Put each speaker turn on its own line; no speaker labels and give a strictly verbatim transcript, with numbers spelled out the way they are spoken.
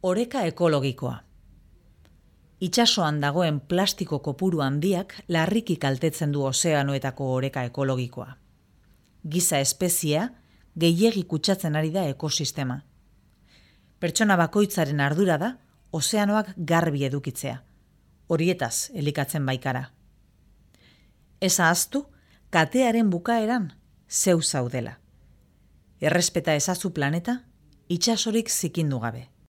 Oreka ekologikoa. Itsasoan dagoen plastiko kopuru handiak larriki kaltetzen du ozeanoetako oreka ekologikoa. Giza espeziea gehiegi kutsatzen ari da ekosistema. Pertsona bakoitzaren ardura da ozeanoak garbi edukitzea. Horietaz elikatzen baikara. Ez ahaztu, katearen bukaeran zeu zaudela. Errespeta ezazu planeta, itsasorik zikindu gabe.